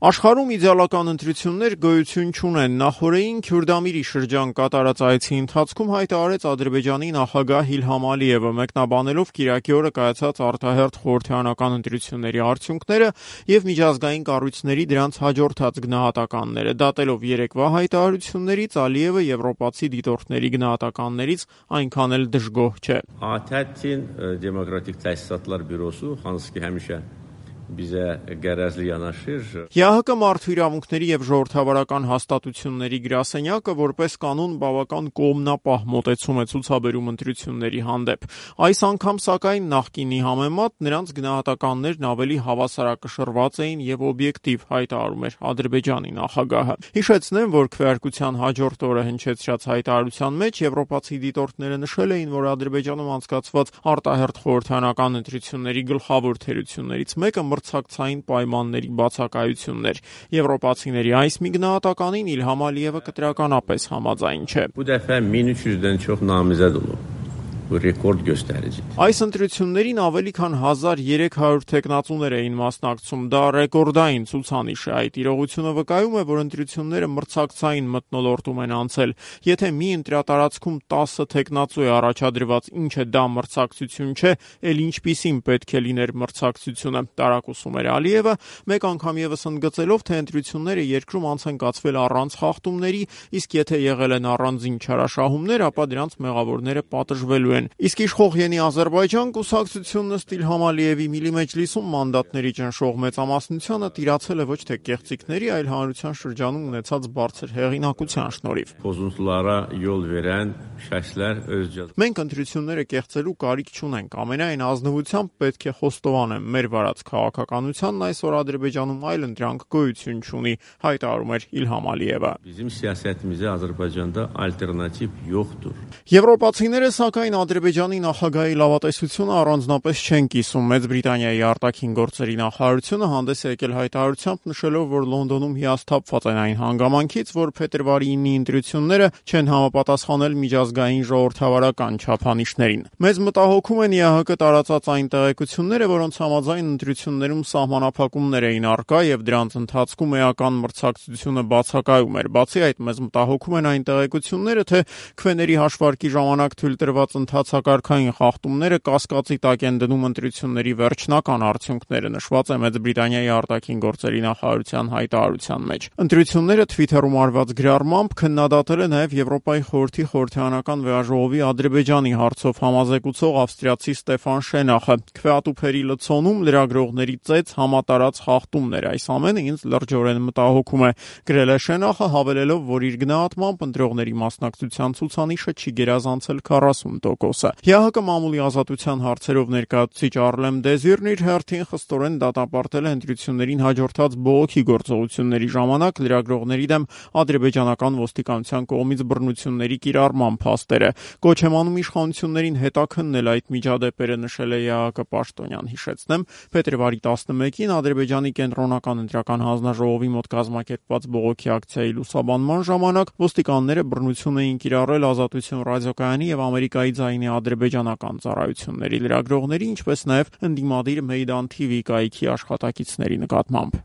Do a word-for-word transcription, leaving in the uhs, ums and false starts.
Աշխարհում իդեալական ընտրություններ գոյություն չունեն։ Նախորդին Քյուրդամիրի շրջան կատարած այցի ընթացքում հայտարարեց Ադրբեջանի նախագահ Իլհամ Ալիևը, մեկնաբանելով կիրակի օրը կայացած արտահերթ խորհրդարանական ընտրությունների արդյունքները եւ միջազգային կառույցների դրանց հաջորդած գնահատականները։ Դատելով երեկվա հայտարարություններից, Ալիևը եվրոպացի դիտորդների գնահատականներից այնքան էլ դժգոհ չէ։ Աթեթին դեմոկրատիկ տեսատլար բյուրոսու հանսկի հեմիշե Bizə gərəzli yanaşır. ԵԱՀԿ մարդու իրավունքների եւ ժողովրդավարական հաստատությունների գրասենյակը որպես կանոն բավական կողմնապահ մոտեցում է ցուցաբերում ընտրությունների հանդեպ։ Այս անգամ սակայն նախկինի համեմատ նրանց գնահատականներն ավելի հավասարակշռված էին եւ օբյեկտիվ, հայտարարում էր Ադրբեջանի նախագահը։ Հիշեցնեմ, որ քվեարկության հաջորդ օրը հնչեցրած հայտարարության մեջ եվրոպացի դիտորդները նշել էին, որ Ադրբեջանում անցկացված արտահերթ խորհրդարանական ընտրությունների գլխավոր թերություններից մեկը մրցակցային պայմանների բացակայությունն էր։ Եվրոպացիների այս մի գնահատականին Իլհամ Ալիևը կտրականապես համաձայն չէ։ Bu dəfə min üç yüzdən çox namizəd olub. Ռեկորդ գոստարիջի։ Այս ընտրություններին ավելի քան հազար երեք հարյուր տեխնացուներ էին մասնակցում, դա ռեկորդային ցուցանիշ է։ Այդ իրողությունը վկայում է, որ ընտրությունները մրցակցային մթնոլորտում են անցել։ Եթե մի ընտրատարածքում տասը տեխնացու է առաջադրված, ինչը դա մրցակցություն չէ, ել ինչպիսին պետք է լիներ մրցակցությունը, տարակուսում էր Ալիևը, մեկ անգամ եւս ընդգծելով, թե ընտրությունները երկրում անց են կացվել առանց խախտումների, իսկ եթե եղել են առանձին չարաշահումներ, ապա դրանց մեղավորները պատժվելու են։ Իսկ իշխող Յենի Ադրբեջան կուսակցությունն ըստ Իլհամ Ալիևի Միլի Մեջլիսում մանդատների ճնշող մեծամասնությանը տիրացել է ոչ թե կեղծիքների, այլ հանրության շրջանում ունեցած բարձր հեղինակության շնորհիվ։ Փոզունտlara yol verən şəxslər öz Մենք ընտրությունները կեղծելու կարիք չունենք, ամենայն ազնվությամբ պետք է խոստովանեմ, մեր վարած քաղաքականությանն այսօր Ադրբեջանում այլ ընտրանք գոյություն չունի, հայտարարում էր Իլհամ Ալիևը։ Bizim siyasətimizə Azərbaycanda alternativ yoxdur. Եվրոպացիները սակայն Ադրբեջանի նախագահի լավատեսությունը առանձնապես չեն կիսում։ Մեծ Բրիտանիայի արտաքին գործերի նախարարությունը հանդես է եկել հայտարարությամբ նշելով, որ Լոնդոնում հիասթափված են այն հանգամանքից, որ փետրվարի ինի ընտրությունները չեն համապատասխանել միջազգային ժողովրդավարական չափանիշներին։ Մեզ մտահոգում են ԵԱՀԿ տարածած այն տեղեկությունները, որոնց համաձայն ընտրություններում սահմանափակումներ էին առկա եւ դրանց ընթացքում էական մրցակցությունը բացակայում էր։ Բացի այդ, մեզ մտահոգում են այն տեղեկությունները, թե քվեների հաշվարկի ժամանակ թույլ տրված ընթացակարգային խախտումները կասկածի տակ են դնում ընտրությունների վերջնական արդյունքները, նշված է Մեծ Բրիտանիայի արտաքին գործերի նախարարության հայտարարության մեջ։ Ընտրությունները Twitter-ում արված գրառմամբ քննադատել է նաև Եվրոպայի խորհրդի խորհրդարանական վեաժողովի Ադրբեջանի հարցով համազեկուցող ավստրիացի Ստեֆան Շենախը։ Քվեատուփերի լցոնում լրագրողների ծեծ համատարած խախտումներ, այս ամենը ինձ լրջորեն մտահոգում է, գրել է Շենախը, հավելելով, որ իր գնահատմամբ ընտրողների մասնակցության ցուցանիշը չի գերազանցել քառասուն տոկոսը։ ԵԱՀԿ մամուլի ազատության հարցերով ներկայացուցիչ Արլեմ Դեզիրն իր հերթին խստորեն դատապարտել է ընտրություններին հաջորդած բողոքի գործողությունների ժամանակ լրագրողների դեմ ադրբեջանական ոստիկանության կողմից բռնությունների կիրառման փաստերը։ Կոչ է անում իշխանություններին հետաքննել այդ միջադեպերը, նշել է ԵԱՀԿ պաշտոնյան։ Հիշեցնեմ, փետրվարի տասնմեկին Ադրբեջանի կենտրոնական ընտրական հանձնաժողովի մոտ կազմակերպված բողոքի ակցիայի լուսաբանման ժամանակ ոստիկանները բռնություն էին կիրառել Ազատություն ռադիոկայանի եւ Ամերիկայի ձայնի ադրբեջանական ծառայությունների լրագրողների, ինչպես նաեւ ընդդիմադիր Մեյդան թի վի կայքի աշխատակիցների նկատմամբ։